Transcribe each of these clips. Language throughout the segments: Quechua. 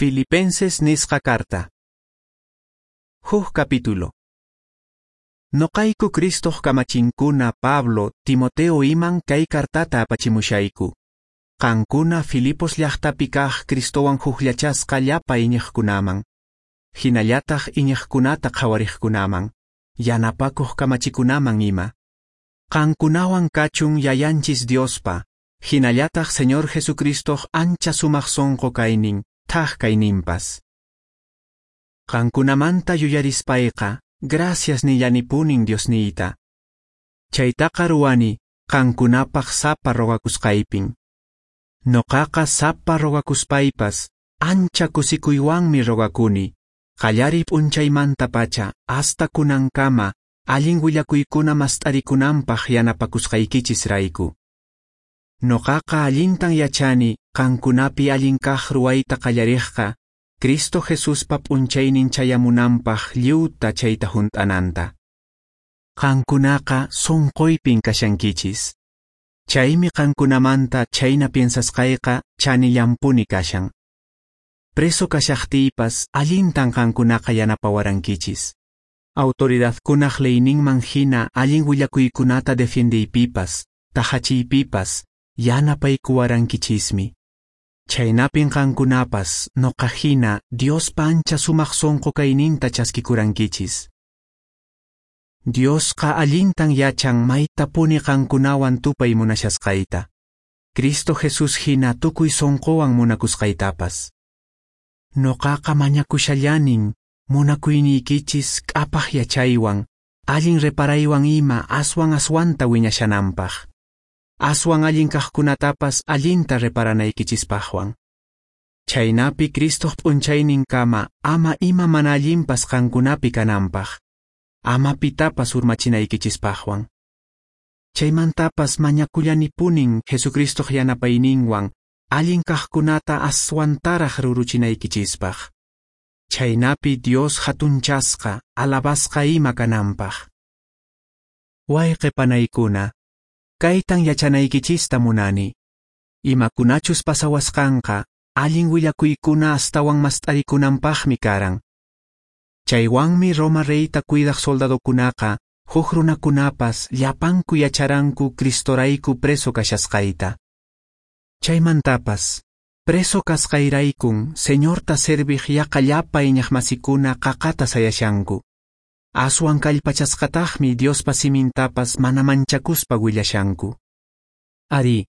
Filipenses nisqa carta. Huk capítulo. Noqayku Cristoq kamachinkuna Pablo, Timoteo iman kay cartata apachimushayku. Qankuna Filipos llaqtapi kaq Cristowan hukllachasqa llapa iñiqkunaman, hinallataq iñiqkunata qhawariqkunaman, yanapakuq kamachikunaman ima. Qankunawan kachun Yayanchis Diospa, hinallataq Señor Jesucristoq ancha sumaq sonqo kaynin, thak kayninpas. Qankunamanta yuyarispayqa, gracias nillanipunin Diosniyta. Chaytaqa ruwani qankunapaq sapa rogakusqaypin. Noqaqa sapa rogakuspaypas, ancha kusikuywanmi rogakuni, qallariy p'unchaymantapacha hasta kunankama allin willakuykuna mast'arikunanpaq yanapakusqaykichisrayku. Noqaqa allintan yachani qankunapi allin kaq ruwayta qallariqqa, Cristo Jesuspa p'unchaynin chayamunanpaq lliwta chayta hunt'ananta. Qankunaqa sonqoypin kashankichis. Chaymi qankunamanta chayna piensasqayqa chanillampuni kashan. Preso kashaqtiypas allintan qankunaqa yanapawarankichis. Autoridadkunaq leyninman hina allin willakuykunata defiendeypipas, tahachiypipas, yanapaykuwarankichismi. Chaynapin qankunapas noqa hina Diospa ancha sumaq sonqo kayninta chaskikurankichis. Diosqa allintan yachan maytapuni qankunawan tupay munashasqayta, Cristo Jesús hina tukuy sonqowan munakusqaytapas. Noqaqa mañakushallanin munakuyniykichis k'apaq yachaywan, allin reparaywan ima aswan aswanta wiñashananpaq. Aswan allin kaqkunatapas allinta reparanaykichispaqwan. Chaynapi Cristoq p'unchayninkama ama ima mana allinpas qankunapi kananpaq, ama pitapas urmachinaykichispaqwan. Chaymantapas mañakullanipunin Jesucristoq yanapayninwan allin kaqkunata aswantaraq ruruchinaykichispaq. Chaynapi Dios hatunchasqa, alabasqa ima kananpaq. Wayqe panaykuna, kaytan yachanaykichista munani. Imakunachus pasawasqanqa, allin willakuykuna astawan mast'arikunanpaqmi karan. Chaywanmi Roma reyta cuidaq soldadokunaqa, huk runakunapas llapanku yacharanku Cristorayku preso kashasqayta. Chaymantapas, preso kasqayraykun Señorta serviq yaqa llapa iñiqmasikuna qaqata sayashanku. Aswan kallpachasqataqmi Diospa simintapas mana manchakuspa willashanku. Ari,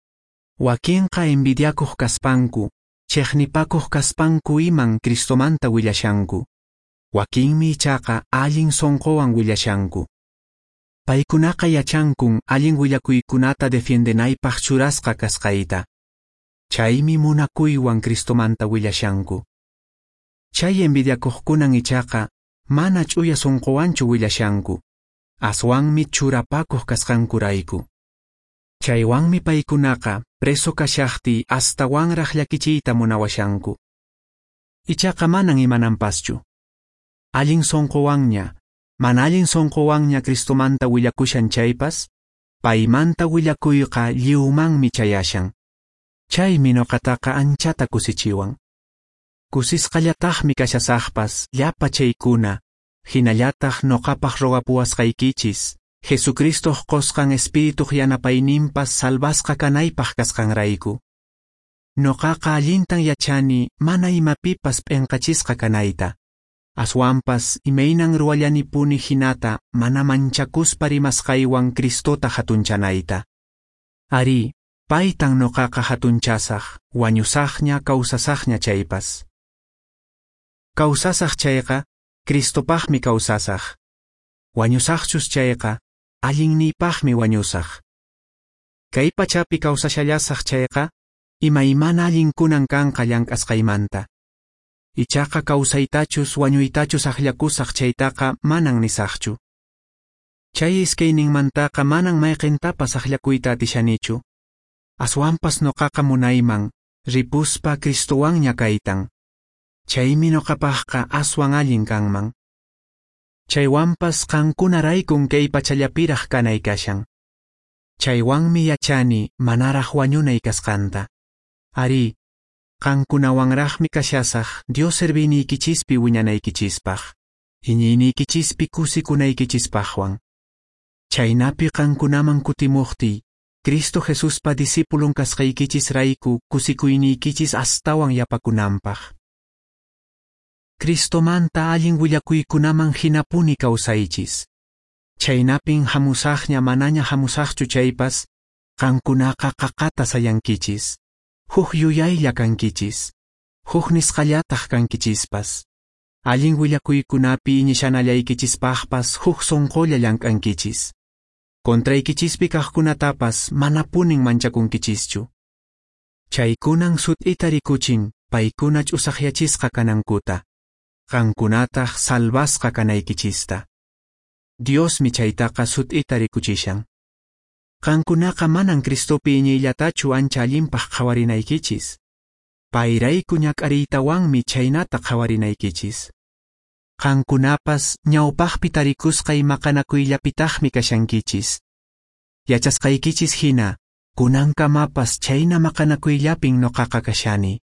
wakinqa envidiakuq kaspanku, chiqnipakuq kaspanku iman Cristomanta willashanku. Wakinmi ichaqa allin sonqowan willashanku. Paykunaqa yachankun allin willakuykunata defiendenaypaq churasqa kasqayta. Chaymi munakuywan Cristomanta willashanku. Chay envidiakuqkunan ichaqa mana ch'uya sonqowanchu willashanku, aswanmi churapakuq kasqankurayku. Chaywanmi paykunaqa preso kashaqtiy astawanraq llakichiyta munawashanku. Ichaqa manan imananpaschu. Allin sonqowanña, mana allin sonqowanña Cristomanta willakushan chaypas, paymanta willakuyqa lliwmanmi chayashan. Chaymi noqataqa anchata kusichiwan. Kusisqallataqmi kashasaqpas llapa chaykuna, hinallataq noqapaq rogapuwasqaykichis, Jesucristoq qosqan Espirituq yanapayninpas salvasqa kanaypaq kasqanrayku. Noqaqa allintan yachani mana imapipas p'enqachisqa kanayta. Aswanpas imaynan ruwallanipuni hinata mana manchakuspa rimasqaywan Cristota hatunchanayta. Ari, paytan noqaqa hatunchasaq, wañusaqña kawsasaqña chaypas. Kawsasaq chayqa, Cristopaqmi kawsasaq. Wañusaqchus chayqa, allinniypaqmi wañusaq. Kay pachapi kawsashallasaq chayqa, imaymana allinkunan kanqa llank'asqaymanta. Ichaqa kawsaytachus wañuytachus akllakusaq chaytaqa manan nisaqchu. Chay iskayninmantaqa manan mayqintapas akllakuyta atishanichu. Aswanpas noqaqa munayman, ripuspa Cristowanña kaytan. Chaymi noqapaqqa aswan allin kanman. Chaywanpas qankunaraykun kay pachallapiraq kanay kashan. Chaywanmi yachani manaraq wañunay kasqanta. Ari, Qankunawanraqmi kashasaq Dios serviyniykichispi wiñanaykichispaq, iñiyniykichispi kusikunaykichispaqwan. Chhaynapi qankunaman kutimuqtiy, Cristo Jesuspa discipulon kasqaykichisrayku kusikuyniykichis astawan yapakunanpaq. Cristomanta allin willakuykunaman hinapuni kawsaychis. Chhaynapin hamusaqña manaña hamusaqchu chaypas, qankunaqa qaqata sayankichis, huk yuyaylla kankichis, huk nisqallataq kankichispas. Allin willakuykunapi iñishanallaykichispaqpas huk sonqolla llank'ankichis. Contraykichispi kaqkunatapas manapunin manchakunkichischu. Chaykunan sut'ita rikuchin paykuna ch'usaqyachisqa kanankuta, qankunataq salvasqa kanaykichista. Diosmi chaytaqa sut'ita rikuchishan. Qankunaqa manan Cristopi iñiyllatachu ancha allinpaq qhawarinaykichis. Payrayku ñak'ariytawanmi chhaynata qhawarinaykichis. Qankunapas ñawpaqpi tarikusqay maqanakuyllapitaqmi kashankichis. Yachasqaykichis hina, kunankamapas chhayna maqanakuyllapin noqaqa kashani.